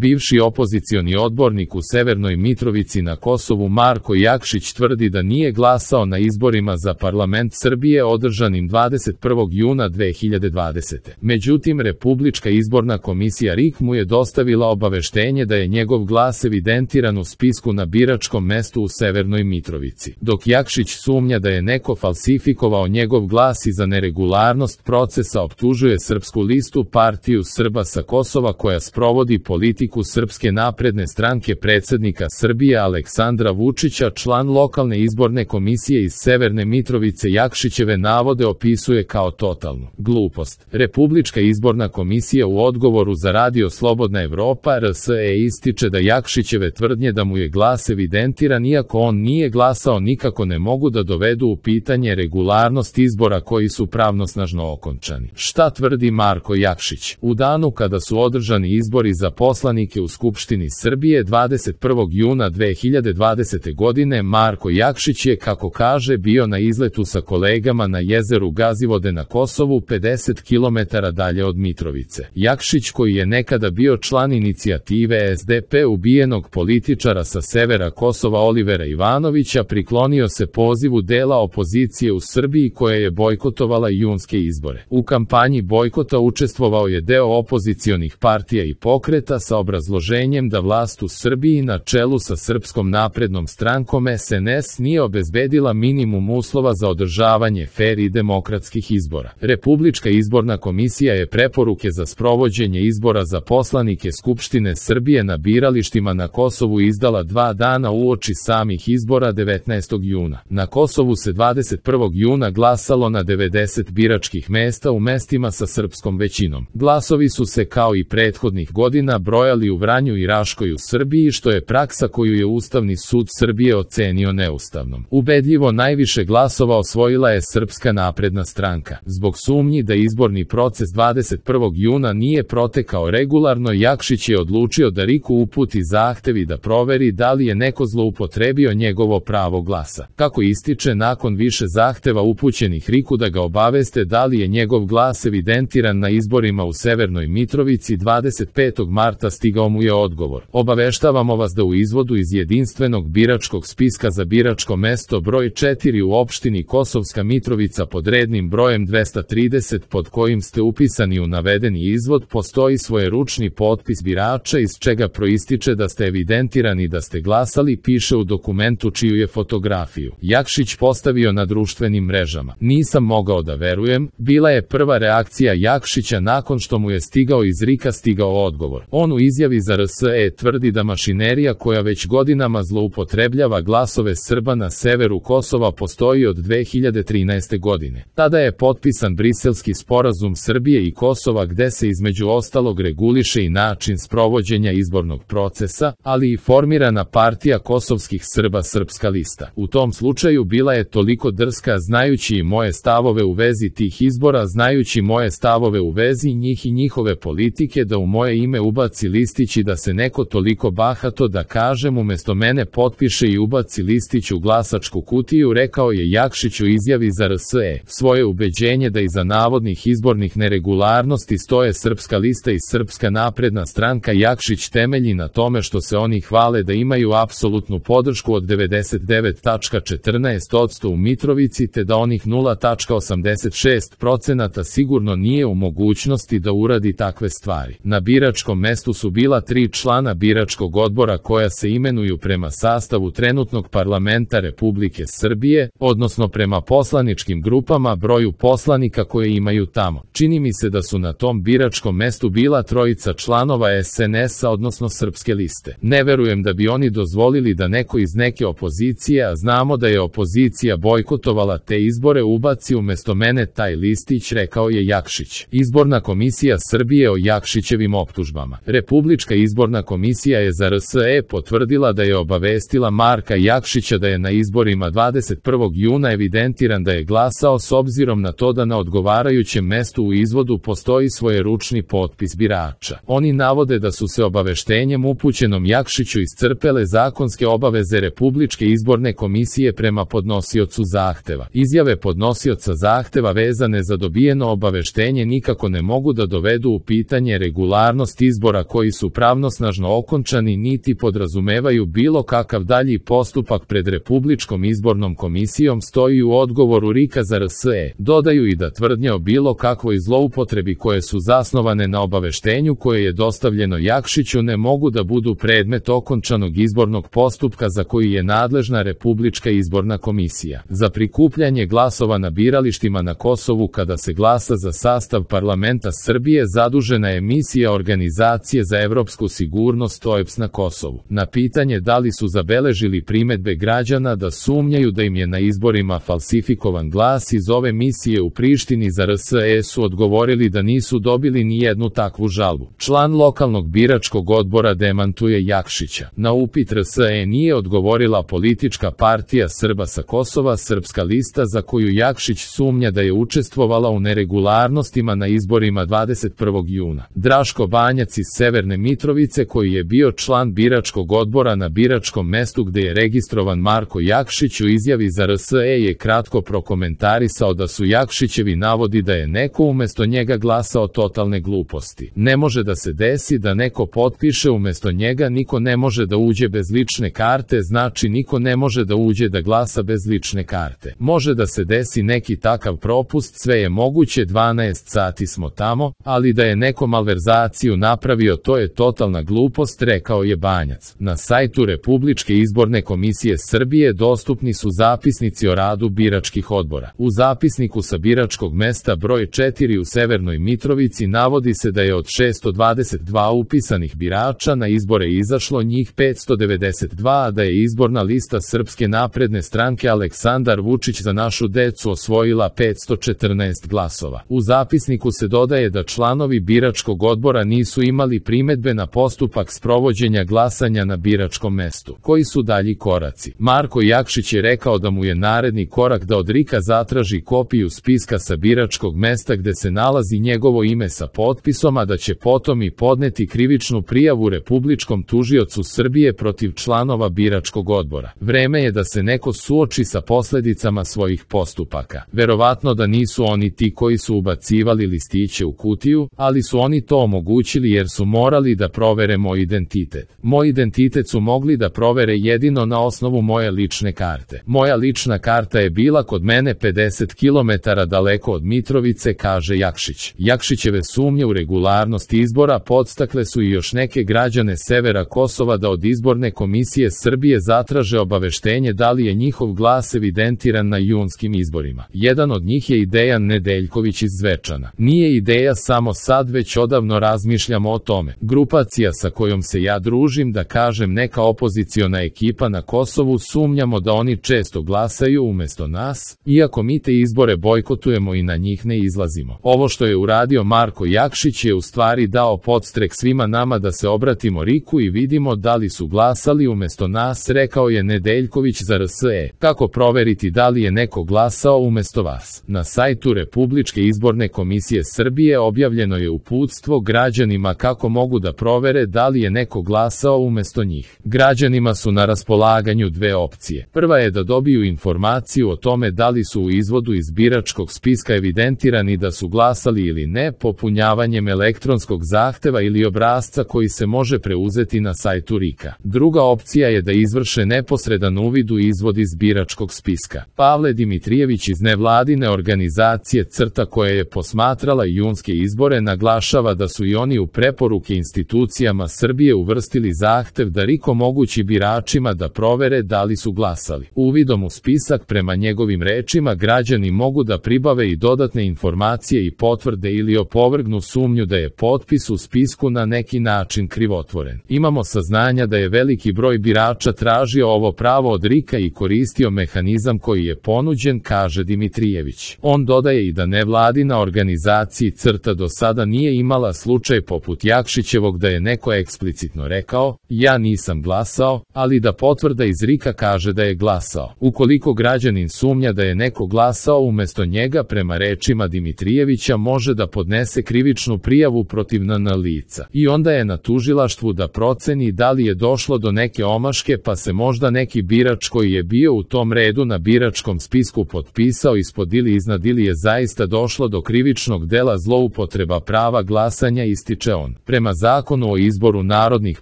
Bivši opozicioni odbornik u Severnoj Mitrovici na Kosovu Marko Jakšić tvrdi da nije glasao na izborima za parlament Srbije održanim 21. juna 2020. Međutim, Republička izborna komisija RIK mu je dostavila obaveštenje da je njegov glas evidentiran u spisku na biračkom mestu u Severnoj Mitrovici. Dok Jakšić sumnja da je neko falsifikovao njegov glas i za neregularnost procesa optužuje Srpsku listu, partiju Srba sa Kosova koja sprovodi politiku Srpske napredne stranke predsjednika Srbije Aleksandra Vučića. Član lokalne izborne komisije iz Severne Mitrovice Jakšićeve navode opisuje kao totalnu glupost. Republička izborna komisija u odgovoru za radio Slobodna Evropa RSE ističe da Jakšićeve tvrdnje da mu je glas evidentiran iako on nije glasao nikako ne mogu da dovedu u pitanje regularnost izbora koji su pravnosnažno okončani. Šta tvrdi Marko Jakšić? U danu kada su održani izbori za poslanike u Skupštini Srbije 21. juna 2020. godine Marko Jakšić je, kako kaže, bio na izletu sa kolegama na jezeru Gazivode na Kosovu 50 km dalje od Mitrovice. Jakšić, koji je nekada bio član inicijative SDP ubijenog političara sa severa Kosova Olivera Ivanovića, priklonio se pozivu dela opozicije u Srbiji koja je bojkotovala junske izbore. U kampanji bojkota učestvovao je deo opozicionih partija i pokreta sa obrazloženjem da vlast u Srbiji na čelu sa Srpskom naprednom strankom SNS nije obezbedila minimum uslova za održavanje fer i demokratskih izbora. Republička izborna komisija je preporuke za sprovođenje izbora za poslanike Skupštine Srbije na biralištima na Kosovu izdala 2 dana uoči samih izbora 19. juna. Na Kosovu se 21. juna glasalo na 90 biračkih mesta u mestima sa srpskom većinom. Glasovi su se kao i prethodnih godina brojali u Vranju i Raškoj u Srbiji, što je praksa koju je Ustavni sud Srbije ocenio neustavnom. Ubedljivo najviše glasova osvojila je Srpska napredna stranka. Zbog sumnji da izborni proces 21. juna nije protekao regularno, Jakšić je odlučio da RIK-u uputi zahtev i da proveri da li je neko zloupotrebio njegovo pravo glasa. Kako ističe, nakon više zahteva upućenih RIK-u da ga obaveste da li je njegov glas evidentiran na izborima u Severnoj Mitrovici 25. marta stigao mu je odgovor. Obaveštavamo vas da u izvodu iz jedinstvenog biračkog spiska za biračko mesto broj 4 u opštini Kosovska Mitrovica pod rednim brojem 230 pod kojim ste upisani u navedeni izvod postoji svojeručni potpis birača iz čega proističe da ste evidentirani da ste glasali, piše u dokumentu čiju je fotografiju Jakšić postavio na društvenim mrežama. Nisam mogao da verujem, bila je prva reakcija Jakšića nakon što mu je stigao iz RIK-a odgovor. On u izjavi za RSE tvrdi da mašinerija koja već godinama zloupotrebljava glasove Srba na severu Kosova postoji od 2013. godine. Tada je potpisan Briselski sporazum Srbije i Kosova gde se između ostalog reguliše i način sprovođenja izbornog procesa, ali i formirana partija kosovskih Srba Srpska lista. U tom slučaju bila je toliko drska znajući i moje stavove u vezi tih izbora, znajući moje stavove u vezi njih i njihove politike da u moje ime ubaci listić i da se neko toliko bahato da kažem umesto mene potpiše i ubaci listić u glasačku kutiju, rekao je Jakšić u izjavi za RSE. Svoje ubeđenje da iza navodnih izbornih neregularnosti stoje Srpska lista i Srpska napredna stranka Jakšić temelji na tome što se oni hvale da imaju apsolutnu podršku od 99,14% u Mitrovici te da onih 0,86% sigurno nije u mogućnosti da uradi takve stvari. Na biračkom mestu su bila 3 člana biračkog odbora koja se imenuju prema sastavu trenutnog parlamenta Republike Srbije, odnosno prema poslaničkim grupama broju poslanika koje imaju tamo. Čini mi se da su na tom biračkom mestu bila 3 članova SNS-a, odnosno Srpske liste. Ne verujem da bi oni dozvolili da neko iz neke opozicije, a znamo da je opozicija bojkotovala te izbore, ubaci umesto mene taj listić, rekao je Jakšić. Izborna komisija Srbije o Jakšićevim optužbama. Republička izborna komisija je za RSE potvrdila da je obavestila Marka Jakšića da je na izborima 21. juna evidentiran da je glasao s obzirom na to da na odgovarajućem mestu u izvodu postoji svojeručni potpis birača. Oni navode da su se obaveštenjem upućenom Jakšiću iscrpele zakonske obaveze Republičke izborne komisije prema podnosiocu zahteva. Izjave podnosioca zahteva vezane za dobijeno obaveštenje nikako ne mogu da dovedu u pitanje regularnost izbora koji koji su pravnosnažno okončani niti podrazumevaju bilo kakav dalji postupak pred Republičkom izbornom komisijom, stoji u odgovoru RIK-a za RSE. Dodaju i da tvrdnje o bilo kakvoj zloupotrebi koje su zasnovane na obaveštenju koje je dostavljeno Jakšiću ne mogu da budu predmet okončanog izbornog postupka za koji je nadležna Republička izborna komisija. Za prikupljanje glasova na biralištima na Kosovu kada se glasa za sastav parlamenta Srbije zadužena je misija Organizacije za evropsku sigurnost OEBS na Kosovu. Na pitanje da li su zabeležili primedbe građana da sumnjaju da im je na izborima falsifikovan glas iz ove misije u Prištini za RSE su odgovorili da nisu dobili ni jednu takvu žalbu. Član lokalnog biračkog odbora demantuje Jakšića. Na upit RSE nije odgovorila politička partija Srba sa Kosova, Srpska lista, za koju Jakšić sumnja da je učestvovala u neregularnostima na izborima 21. juna. Draško Banjac iz Severne Mitrovice, koji je bio član biračkog odbora na biračkom mestu gde je registrovan Marko Jakšić, u izjavi za RSE je kratko prokomentarisao da su Jakšićevi navodi da je neko umesto njega glasao totalne gluposti. Ne može da se desi da neko potpiše umesto njega, niko ne može da uđe bez lične karte, znači niko ne može da uđe da glasa bez lične karte. Može da se desi neki takav propust, sve je moguće, 12 sati smo tamo, ali da je neko malverzaciju napravio, to je totalna glupost, rekao je Banjac. Na sajtu Republičke izborne komisije Srbije dostupni su zapisnici o radu biračkih odbora. U zapisniku sa biračkog mesta broj 4 u Severnoj Mitrovici navodi se da je od 622 upisanih birača na izbore izašlo njih 592, a da je izborna lista Srpske napredne stranke Aleksandar Vučić za našu decu osvojila 514 glasova. U zapisniku se dodaje da članovi biračkog odbora nisu imali primedbe na postupak sprovođenja glasanja na biračkom mestu. Koji su dalji koraci? Marko Jakšić je rekao da mu je naredni korak da od RIK-a zatraži kopiju spiska sa biračkog mesta gde se nalazi njegovo ime sa potpisom, a da će potom i podneti krivičnu prijavu Republičkom tužiocu Srbije protiv članova biračkog odbora. Vreme je da se neko suoči sa posledicama svojih postupaka. Verovatno da nisu oni ti koji su ubacivali listiće u kutiju, ali su oni to omogućili jer su morali da provere moj identitet. Moj identitet su mogli da provere jedino na osnovu moje lične karte. Moja lična karta je bila kod mene 50 km daleko od Mitrovice, kaže Jakšić. Jakšićeve sumnje u regularnost izbora podstakle su i još neke građane severa Kosova da od izborne komisije Srbije zatraže obaveštenje da li je njihov glas evidentiran na junskim izborima. Jedan od njih je i Dejan Nedeljković iz Zvečana. Nije ideja samo sad, već odavno razmišljamo o tome. Grupacija sa kojom se ja družim, da kažem neka opoziciona ekipa na Kosovu, sumnjamo da oni često glasaju umesto nas, iako mi te izbore bojkotujemo i na njih ne izlazimo. Ovo što je uradio Marko Jakšić je u stvari dao podstrek svima nama da se obratimo RIK-u i vidimo da li su glasali umesto nas, rekao je Nedeljković za RSE. Kako proveriti da li je neko glasao umesto vas? Na sajtu Republičke izborne komisije Srbije objavljeno je uputstvo građanima kako mogu da provere da li je neko glasao umesto njih. Građanima su na raspolaganju dve opcije. Prva je da dobiju informaciju o tome da li su u izvodu iz biračkog spiska evidentirani da su glasali ili ne, popunjavanjem elektronskog zahteva ili obrasca koji se može preuzeti na sajtu RIK-a. Druga opcija je da izvrše neposredan uvid u izvod iz biračkog spiska. Pavle Dimitrijević iz nevladine organizacije CRTA, koja je posmatrala junske izbore, naglašava da su i oni u preporuke institucijama Srbije uvrstili zahtev da RIK omogući biračima da provere da li su glasali. Uvidom u spisak, prema njegovim rečima, građani mogu da pribave i dodatne informacije i potvrde ili opovrgnu sumnju da je potpis u spisku na neki način krivotvoren. Imamo saznanja da je veliki broj birača tražio ovo pravo od RIK-a i koristio mehanizam koji je ponuđen, kaže Dimitrijević. On dodaje i da nevladina organizacija CRTA do sada nije imala slučaj poput Jakšićevog da je neko eksplicitno rekao, ja nisam glasao, ali da potvrda iz RIK-a kaže da je glasao. Ukoliko građanin sumnja da je neko glasao umesto njega, prema rečima Dimitrijevića, može da podnese krivičnu prijavu protiv NN lica. I onda je na tužilaštvu da proceni da li je došlo do neke omaške, pa se možda neki birač koji je bio u tom redu na biračkom spisku potpisao ispod ili iznad, ili je zaista došlo do krivičnog dela zloupotreba prava glasanja, ističe on. Prema Zakonu o izboru narodnih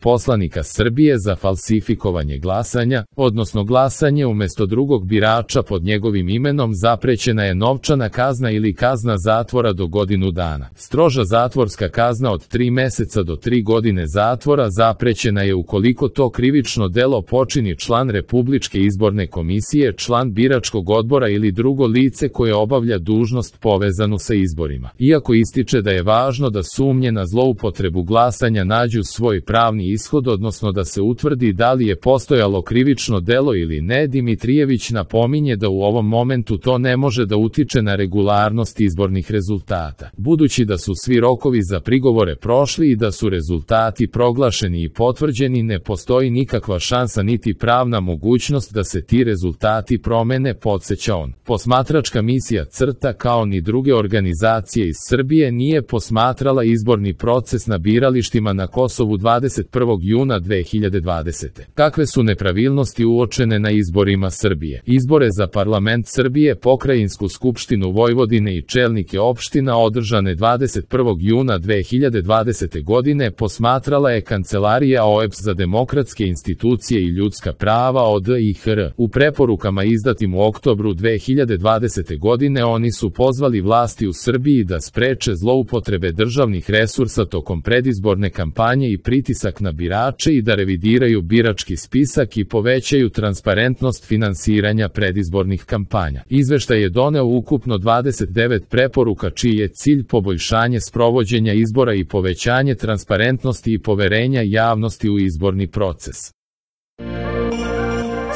poslanika Srbije za falsifikovanje glasanja, odnosno glasanje umjesto drugog birača pod njegovim imenom, zaprećena je novčana kazna ili kazna zatvora do godinu dana. Stroža zatvorska kazna od 3 meseca do 3 godine zatvora zaprećena je ukoliko to krivično delo počini član Republičke izborne komisije, član biračkog odbora ili drugo lice koje obavlja dužnost povezanu sa izborima. Iako ističe da je važno da sumnje na zloupotrebu glasanja nađu svoj pravni ishod, odnosno da se utvrdi da li je postojalo krivično delo ili ne, Dimitrijević napominje da u ovom momentu to ne može da utiče na regularnost izbornih rezultata. Budući da su svi rokovi za prigovore prošli i da su rezultati proglašeni i potvrđeni, ne postoji nikakva šansa niti pravna mogućnost da se ti rezultati promene, podsjeća on. Posmatračka misija CRTA kao ni druge organizacije iz Srbije nije posmatrala izborni proces na biralištima na Kosovu 21. juna 2020. Kakve su nepravilnosti uočene na izborima Srbije? Izbore za parlament Srbije, Pokrajinsku skupštinu Vojvodine i čelnike opština održane 21. juna 2020. godine posmatrala je Kancelarija OEBS za demokratske institucije i ljudska prava ODIHR. U preporukama izdatim u oktobru 2020. godine oni su pozvali vlasti u Srbiji da spreče zloupotrebe državnih resursa tokom predizborne kampanje i pritisak na birače i da revidiraju birački spisak i povećaju transparentnost finansiranja predizbornih kampanja. Izveštaj je doneo ukupno 29 preporuka čiji je cilj poboljšanje sprovođenja izbora i povećanje transparentnosti i poverenja javnosti u izborni proces.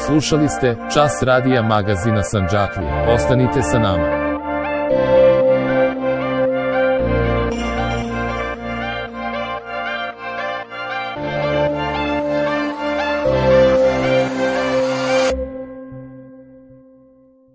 Slušali ste Čas radija magazina Sandžaklija. Ostanite sa nama.